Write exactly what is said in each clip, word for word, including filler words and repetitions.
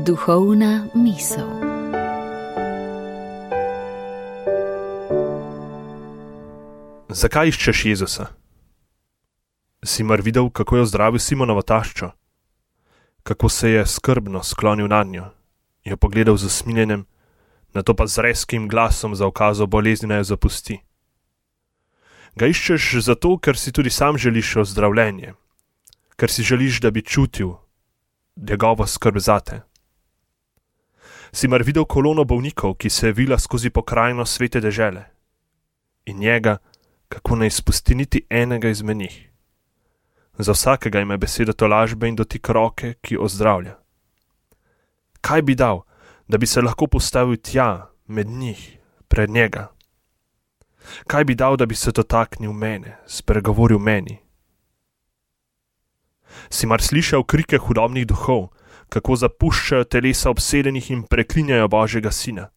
Duhovna misel. Zakaj iščeš Jezusa? Si mar videl, kako je ozdravil Simonovo taščo? Kako se je skrbno sklonil nadnjo, jo pogledal z usmiljenjem, nato pa z rezkim glasom zaukazal bolezni, naj jo zapusti? Ga iščeš zato, ker si tudi sam želiš ozdravljenje, ker si želiš, da bi čutil njegovo skrb zate. Si mar videl kolono bolnikov, ki se je vila skozi pokrajino svete dežele, in njega, kako ne izpusti niti enega izmed njih? Za vsakega ima besedo tolažbe in dotik roke, ki ozdravlja. Kaj bi dal, da bi se lahko postavil tja, med njih, pred njega? Kaj bi dal, da bi se dotaknil mene, spregovoril meni? Si mar slišal krike hudobnih duhov, kako zapuščajo telesa obsedenih in preklinjajo Božjega Sina?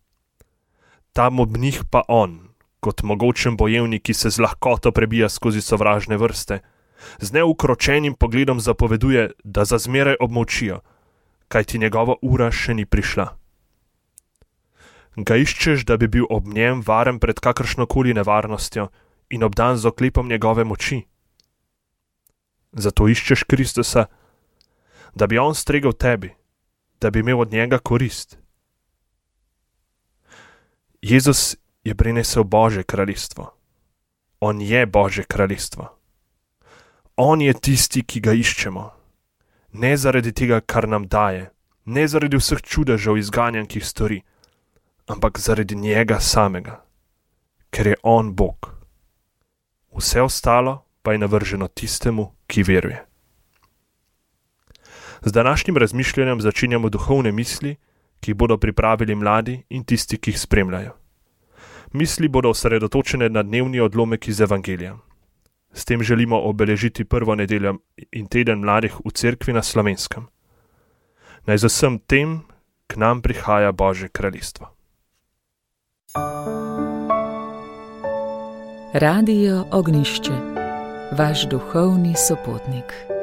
Tam ob njih pa on, kot mogočen bojevnik, ki se z lahkoto prebija skozi sovražne vrste, z neukročenim pogledom zapoveduje, da za zmeraj obmolčijo, kajti njegova ura še ni prišla. Ga iščeš, da bi bil ob njem varen pred kakršnokoli nevarnostjo in obdan z oklepom njegove moči? Zato iščeš Kristusa, da bi on stregel tebi, da bi imel od njega korist. Jezus je prinesel Božje kraljestvo. On je Božje kraljestvo. On je tisti, ki ga iščemo. Ne zaradi tega, kar nam daje, ne zaradi vseh čudežev izganjanj, ki jih stori, ampak zaradi njega samega, ker je on Bog. Vse ostalo pa je navrženo tistemu, ki veruje. Z današnjim razmišljanjem začenjamo duhovne misli, ki jih bodo pripravili mladi in tisti, ki jih spremljajo. Misli bodo osredotočene na dnevni odlomek iz Evangelija. S tem želimo obeležiti prvo nedeljo in teden mladih v cerkvi na Slovenskem. Naj z vsem tem k nam prihaja Božje kraljestvo. Radio Ognjišče, vaš duhovni sopotnik.